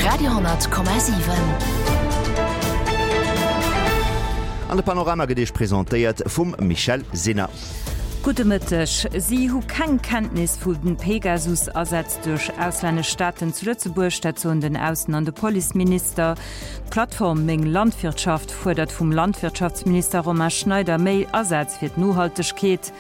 Radio,7. An de Panorama gëtt Iech presentéiert vum Michèle Sinner. Gudde Mëtteg. Si hu keng Kenntnis vu den Pegasus-Asätz duerch auslännesch Staaten zu Lëtzebuerg, dat soen den Aussen an de Policeminister. D'Plattform Meng Landwirtschaft fuerdert vum Landwirtschaftsminister Romain Schneider méi Asaz fir d'Nohaltegkeet.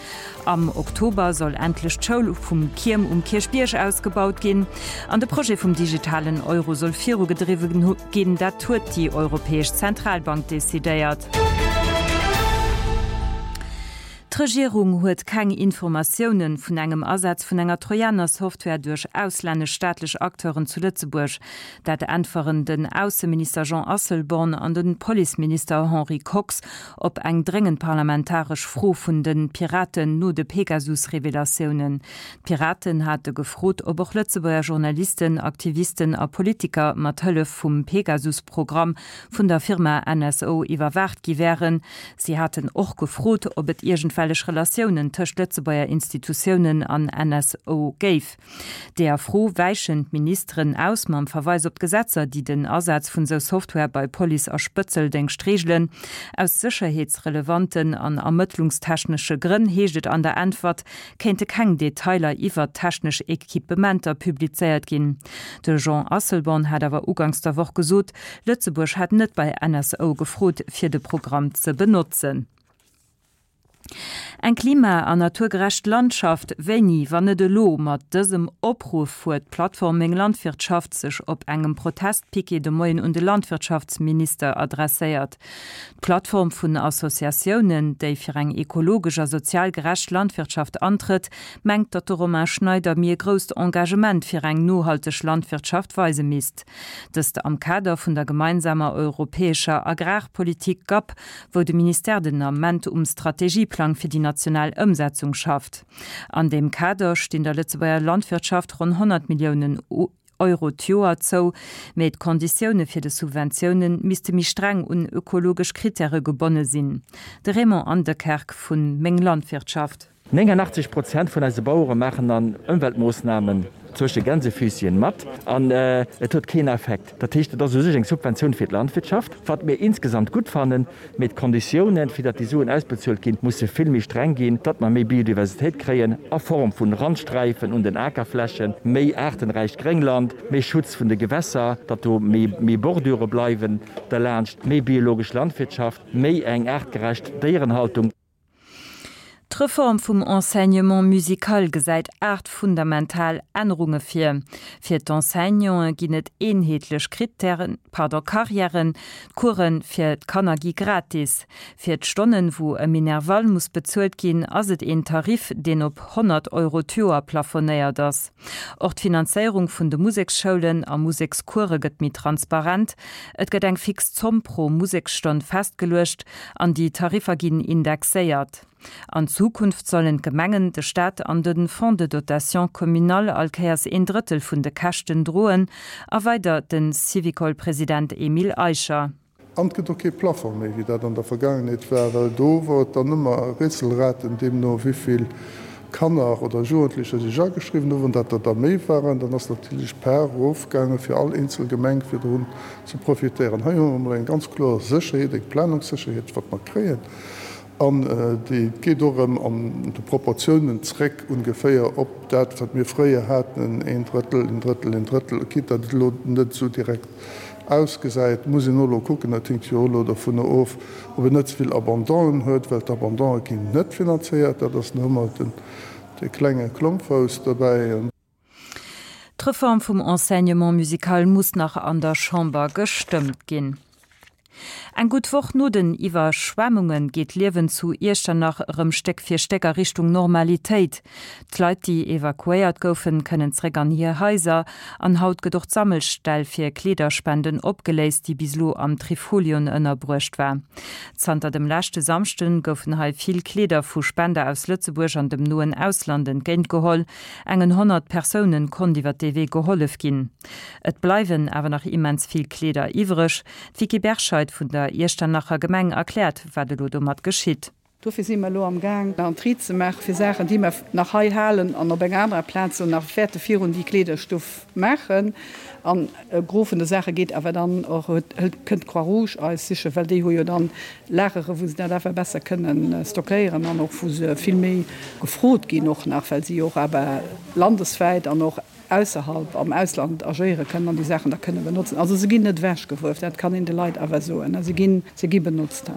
Am Oktober soll endlech d'Schoul vum Kierm um Kierchbierg ausgebaut ginn an de Projet vum digitalen Euro soll virugedriwwen ginn. Dat huet déi Europäesch Zentralbank decidéiert. D'Regierung huet keng Informatioune vun engem Asaz vun enger Trojaner-Software duerch auslännesch staatlech Acteuren zu Lëtzebuerg. Dat äntweren den Ausseminister Jean Asselborn an de Policeminister Henri Kox op eng dréngend parlamentaresch Fro vun de Piraten no de Pegasus-Revelatiounen. D'Piraten hate gefrot, ob och Lëtzebuerger Journalisten, Aktivisten a Politiker mat Hëllef vum Pegasus-Programm vun der Firma NSO iwwerwaacht gi wären. Si haten och gefrot, ob et iergendwellech Relatiounen tëscht Lëtzebuerger Institutiounen an NSO géif. Deeër Fro wäichen d'Ministeren aus mam Verweis op d'Gesetzer, déi den Asaz vun sou Software bei Police a Spëtzeldéngscht reegelen. Aus sécherheetsrelevanten an ermëttlungstechnesche Grënn, heescht et an der Äntwert, kéinte keng Detailer iwwert technesch Equipementer publizéiert ginn. De Jean Asselborn hat awer uganks der Woch gesot, Lëtzebuerg hätt net bei NSO gefrot, fir de Programm ze benotzen. Eng klima an naturgerecht Landschaft, wéini, wann net elo? Mat dësem Opruff huet d'Plattform Meng Landwirtschaft sech op engem Protestpiquet de Moien un de Landwirtschaftsminister adresséiert. D'Plattform vun Associatiounen, déi fir eng ekologesch a sozial gerecht Landwirtschaft antrëtt, mengt, datt de Romain Schneider méi e grousst Engagement fir eng nohalteg Landwirtschaft weise misst. Dëst am Kader vun der gemeinsamer europäescher Agrarpolitik, gap, wou de Ministère den Ament um Strategieplang fir déi national Ëmsetzung schafft. An deem Kader stinn der Lëtzebuerger Landwirtschaft ronn 100 Milliounen Euro d'Joer zou, mee d'Konditioune fir de Subventioune misste méi streng un ökologesch Krittäre gebonne sinn. De Raymond Andekerk vu Meng Landwirtschaft. 89 Prozent vun eise Bauere maachen an Ëmweltmoossnamen zwësche Gänsefüßchen mat an et huet keen Effekt. Dat heescht, et ass u sech eng Subventioun fir d'Landwirtschaft, wat mir insgesamt gutt fannen, mee d'Konditiounen, fir datt déi Suen ausbezuelt ginn, musse vill méi streng ginn, datt mer méi Biodiversitéit kréien a Form vun Randsträifen un den Akerflächen, méi aartenräicht Gréngland, méi Schutz vun de Gewässer, datt do méi Bordure bleiwen derlaanscht, méi biologesch Landwirtschaft, méi eng aartgerecht Déierenhaltung. D'Reform vum Enseignement musical gesäit 8 fundamental Ännerunge vir. Fir d'Enseignanten ginn et eenheetlech Krittären, pardon, Karriären, d'Course fir d'Kanner gi gratis. Fir d'Stonnen, wou e Minerval muss bezuelt ginn, ass et een Tarif, deen op 100 Euro d'Joer plafonéiert ass. Och d'Finanzéierung vun de Museksschoulen a Musekscourse gëtt méi transparent. Et gëtt eng fix Zomm pro Museksstonn festgeluecht an déi Tariffer ginn indexéiert. An Zukunft sollen d'Gemengen, de Staat an de Fonds de dotation communal all Kéiers een Drëttel vun de Käschten droen, erweidert de Syvicol-President Emile Eicher. An et gëtt och kee Plafong méi, wéi dat an der Vergaangenheet war, well do wor et dann ëmmer Rätselraten, deemno wéivill Kanner oder Jugendlecher sech ageschriwwen hunn. Wann dat der da méi waren, dann ass natierlech d'Par erofgaange fir all eenzel Gemeng, fir drun ze profitéieren. Hei hu mer emol eng ganz kloer Sécherheet, eng Planungssécherheet, wat mer kréien. An déi geet och erëm an de Proportiounen zréck ongeféier op dat, wat mir fréier haten, een Drëttel, een Drëttel, een Drëttel. Quitte datt et elo net esou direkt ausgesäit, muss een och elo kucken, dat hinkt jo och elo dovunner of, ob een net ze vill Abandonen huet, well d'Abandonë ginn net finanzéiert. Dat ass nach ëmmer den, dee klenge Klompfouss dobäi. D'Reform vum Enseignement musical muss nach an der Chamber gestëmmt ginn. Eng gutt Woch no den Iwwerschwemmunge geet d'Liewen zu Iechternach erëm Stéck fir Stéck a Richtung Normalitéit. D'Leit, déi evakuéiert goufen, kënnen zeréck an hir Haiser. An haut gëtt och d'Sammelstell fir Kleederspenden opgeléist, déi bis elo am Trifolion ënnerbruecht war. Zanter dem leschte Samschde goufen hei vill Kleeder vu Spender aus Lëtzebuerg an dem noen Ausland entgéintgeholl. Engen 100 Persounen konnt iwwer dee Wee gehollef ginn. Et bleiwen awer nach immens vill Kleeder iwwreg. D'Vicky Berscheid vun der Iechternacher Gemeng erkläert, wat elo domat geschitt. Dofir si mer elo am Gaang en Tri ze maachen, fir Saachen, déi mer nach hei halen an op enger anerer Plaz elo nach wäerte virun déi Kleederstuff maachen. An e Gros vun de Saache geet awer dann och, hëlt, kënnt d'Croix-Rouge eis sichen, well déi hu jo dann Lagere wou se dat awer besser kënnen stockéieren an och wou se vill méi gefrot ginn och nach, well si jo och awer landeswäit an och ausserhalb, am Ausland agéiere kënnen an déi Saachen da kënne benotzen. Also se ginn net ewechgeworf, dat kann een de Leit awer soen, se ginn, se gi benotzt.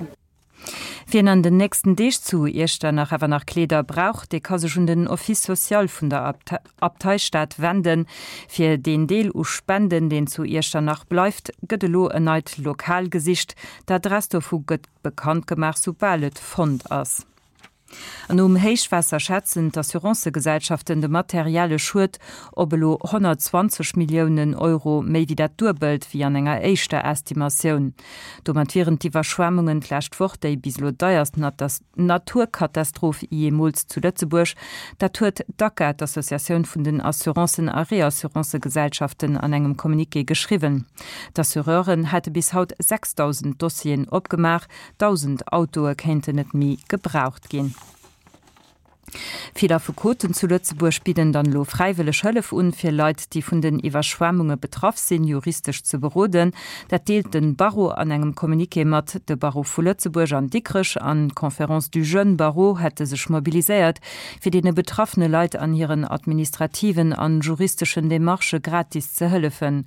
Wien an den nächsten Deeg zu Iechternach awer nach Kleeder brauch, dee ka sech un den Office social vun der Abteistad wenden. Fir deen Deel u Spenden, deen zu Iechternach bleift, gëtt elo en neit Lokal gesicht. D'Adress dovu gëtt bekannt gemaach, soubal et fonnt ass. An nom Héichwaasser schätzen d'Assurancëgesellschaften de materielle Schued op elo 120 Milliounen Euro, méi wéi dat Duebelt wéi an enger éischter Estimatioun. Domat wieren d'Iwwerschwemmungen d'lescht Woch déi bis elo deierst Naturkatastroph jeemools zu Lëtzebuerg. Dat huet d'ACA, d'Associatioun vun den Assurancen a Reassurancegesellschaften, an engem Communiqué geschriwwen. D'Assureuren hätte bis haut 6.000 Dossieren opgemaach, 1.000 Autoe kéinten net méi gebraucht ginn. Vill Affekoten zu Lëtzebuerg bidden dann elo fräiwëlleg Hëllef un, fir Leit, déi vun den Iwwerschwemmunge betraff sinn, juristesch ze beroden. Dat deelt de Barreau an engem Communiqué mat. De Barreau vu Lëtzebuerg an Dikrech an d'Conférence du Jeune Barreau hätte sech mobiliséiert, fir deene betraffene Leit an hiren administrativen an juristeschen Demarchë gratis ze hëllefen.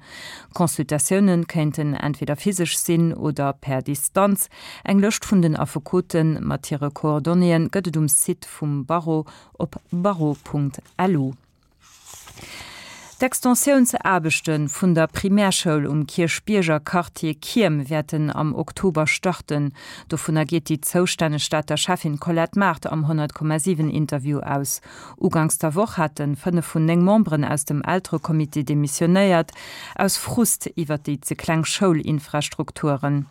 Consultatioune kéinten entweder physesch sinn oder per Distanz. Eng Lëscht vun den Affekote mat hire Coordonnéeë gëtt et um Site vum Barreau op barreau.lu. D'Extensiounsaarbechte vun der Primärschoul um Kierchbierger Quartier Kierm wäerten am Oktober starten. Dovunner geet déi zoustänneg Stater Schäffin Colette Mart am 100,7 Interview aus. Uganks der Woch hate 5 vun 9 Memberen aus dem Elterecomité demissionéiert, aus Frust iwwer déi ze kleng Schoulinfrastrukturen.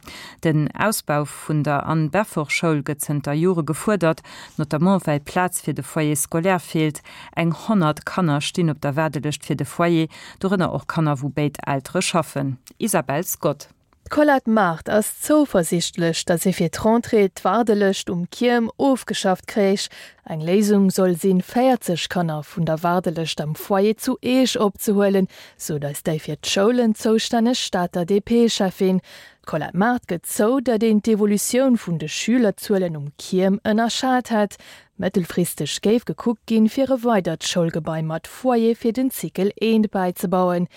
Den Ausbau vun der Anne Beffort Schoul gëtt zënter Jore gefuerdert, notamment well Plaz fir de Foyer scolaire feelt. Eng 100 Kanner stinn op der Waardelëscht fir de Foyer, dorënner och Kanner wou béid Eltere schaffen. Isabelle Scott. D'Colette Mart ass zouversiichtlech, datt ee fir d'Rentrée d'Waardelëscht um Kierm ofgeschafft kréich. Eng Léisung soll sinn, 40 Kanner vun der Waardelëscht am Foyer zu Eech opzehuelen, sot eis déi fir d'Schoulen zoustänneg Stater DP-Cheffin. D'Colette Mart gëtt zou, datt een d'Evolutioun vun de Schülerzuelen um Kierm ënnerschat hätt. Mëttelfristeg géif gekuckt ginn, fir e weidert Schoulgebai mat Foyer fir den Cycle I bäizebauen.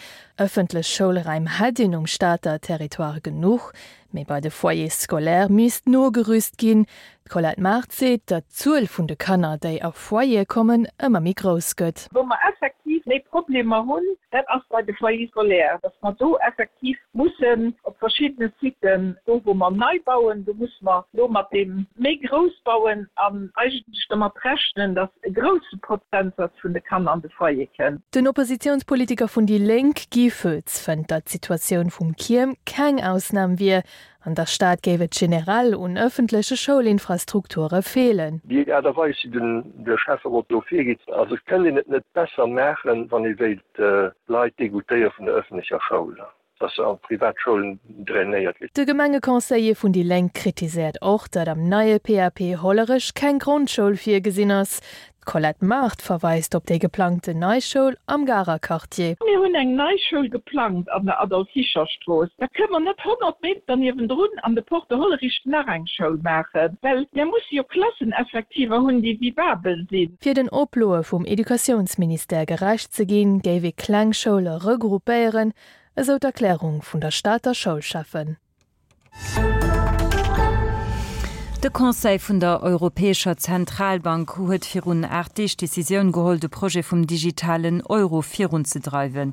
Ëffentlech Schoulraim hätt een um Stater Territoire genuch, mee bei de Foyers scolaires misst nogerüst ginn. D'Colette Mart seet, datt d'Zuel vun de Kanner, déi a Foyere kommen, ëmmer méi grouss gëtt. Wou mer effektiv méi Problemer hunn, dat ass bei de Foyers scolaires, datt mer do effektiv mussen op verschiddene Siten, do wou mer nei bauen, do musse mer elo mat deem méi grouss bauen an eigentlech domat rechnen, datt e grousse Prozentsatz vun de Kanner an de Foyer kënnt. Den Oppositiounspolitiker vun déi Lénk, Guy Foetz, fënnt, datt d'Situatioun vum Kierm keng Ausnam wier. An der Stad géif et generell un ëffentleche Schoulinfrastrukture feelen. Déi Aart a Weis, wéi den de Schäfferot do virgeet, also et kënnt een et net besser maachen, wann ee wéilt d'Leit degoutéiere vun der ëffentlecher Schoul, dass se an d'privat Schoulen drainéiert ginn. De Gemengeconseiller vun déi Lénk kritiséiert och, datt am neie PAP Hollerech keng Grondschoul virgesinn ass. D'Colette Mart verweist op déi geplangten nei Schoul am Garer Quartier. Mir hunn eng nei Schoul geplangt an der Adolphe-Fischer-Strooss. Da kënne mer net 100 Meter niewendrun an de Porte Hollerich nach eng Schoul maachen, well mir musse jo Klasseneffektiver hunn, déi vivabel sinn. Fir den Oploe vum Educatiounsministère gerecht ze ginn, géif ee kleng Schoule regroupéieren, esou d'Erklärung vun der Stater Schoulschäffen. De Conseil vun der Europäescher Zentralbank huet virun 8 Deeg d'Decisioun geholl, de Projet vum digitalen Euro virunzedreiwen.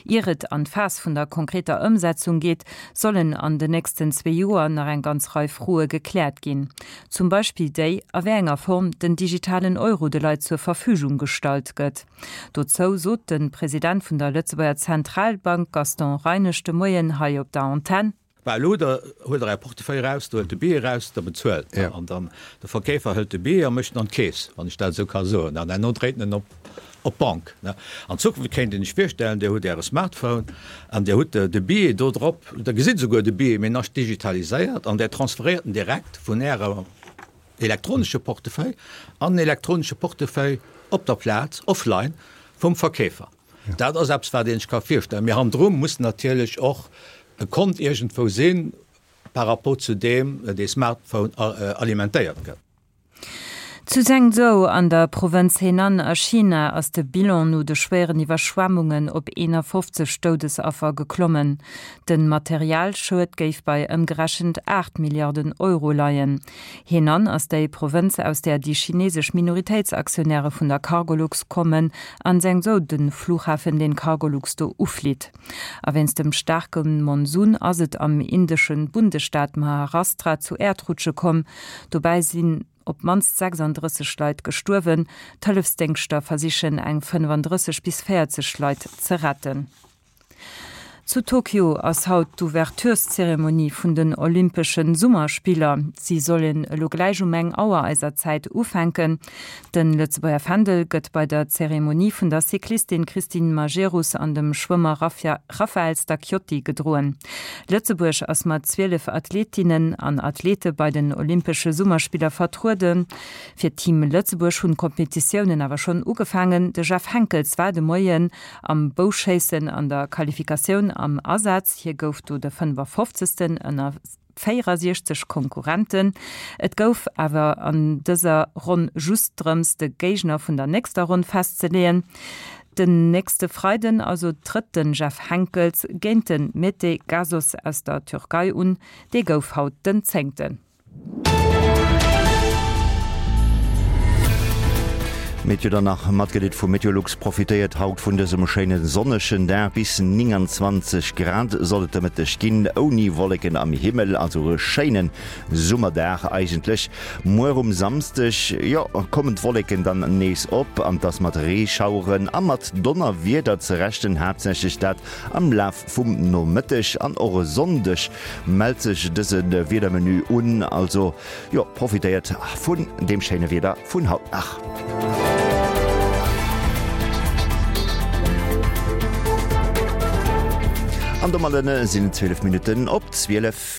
Ier et an d'Phas vun der konkreter Ëmsetzung geet, sollen an den nächsten zwee Joer nach eng ganz Rei Froe gekläert ginn. Zum Beispill déi, a wéi enger Form den digitalen Euro de Leit zur Verfügung gestallt gëtt. Dozou sot de President vun der Lëtzebuerger Zentralbank Gaston Reinesch de Moien hei op der Antenn. Bah, elo da huelt Der Är Portefeuille eraus, der huelt de Billet eraus, der bezuelt Der an dann de Verkeefer hëlt de Billet a mécht en an d'Keess, wann ech dat esou ka soen, an herno dréit en en op op d'Bank. An Zukunft kéint een sech virstellen, Dir hutt Äre Smartphone an Dir hutt de Billet do drop, Der gesitt esouguer de Billet, mee en ass digitaliséiert an Der transferéiert en direkt vun Ärer. elektronesche Portefeuille an en elektronesche Portefeuille op der Plaz, offline, vum Verkeefer. Dat ass eppes, wat ee sech ka virstellen. Mee hannendru muss natierlech och e Kont iergendwou sinn, par rapport zu deem dee Smartphone alimentéiert gëtt. Zu Zhengzhou an der Provënz Henan a China ass de Bilan no de schwéieren Iwwerschwemmunge op 51 Doudesaffer geklommen. De Materialschued géif bei ëmgerechent 8 Milliarden Euro leien. Henan ass déi Provënz, aus där déi chinesesch Minoritéitsaktionäre vun der Cargolux kommen, an Zhengzhou de Flughafen, deen Cargolux do uflitt. A wéinst dem staarke Monsun ass et am indesche Bundesstaat Maharastra zu Äerdrutsche komm. Dobäi sinn op d'mannst 36 Leit gestuerwen. D'Hëllefsdéngschter versichen eng 35 bis 40 Leit ze retten. Zu Tokio ass haut d'Ouvertureszeremonie vun den Olympesche Summerspiller. Si sollen elo gläich um eng Auer eiser Zäit ufänken. De Lëtzebuerger Fändel gëtt bei der Zeremonie vun der Cyclistin Christine Majerus an dem Schwëmmer Raphael Stacchiotti gedroen. Lëtzebuerg ass mat 12 Athletinnen an Athlete bei den Olympesche Summerspiller vertrueden. Fir d'Team Lëtzebuerg hunn d'Kompetitiounen awer schonn ugefaangen. De Jeff Henckels war de Moien am Bouschéissen an der Qualifikatioun am Asaz. Hie gouf do de 55. ënner 64 Konkurrenten. Et gouf awer an dëser Ronn just drëms, de Géigner vun der nächster Ronn festzeleeën. Den nächste Freiden also trëtt de Jeff Henckels géint de Mete Gazoz aus der Türkei un. Dee gouf haut den Zéngten. Meteo dann nach matgedeelt vu Meteolux, Profitéiert haut vun dësem schéine sonnegen Dag, bis 29 Grad soll et de Mëtteg ginn, ouni Wolleken am Himmel, also e schéine Summerdag eigentlech. Muer um Samsdeg, jo, kommen d'Wolleken dann nees op an et ass mat Reeschaueren a mat Donnerwieder ze rechnen, haaptsächlech dat am Laf vum Nomëtteg an och e Sonndeg mellt sech dëse Wiedermenu un, also jo, profitéiert vun deem schéine Wieder vun haut nach. An domadden sinn et 12 Minutten op 12.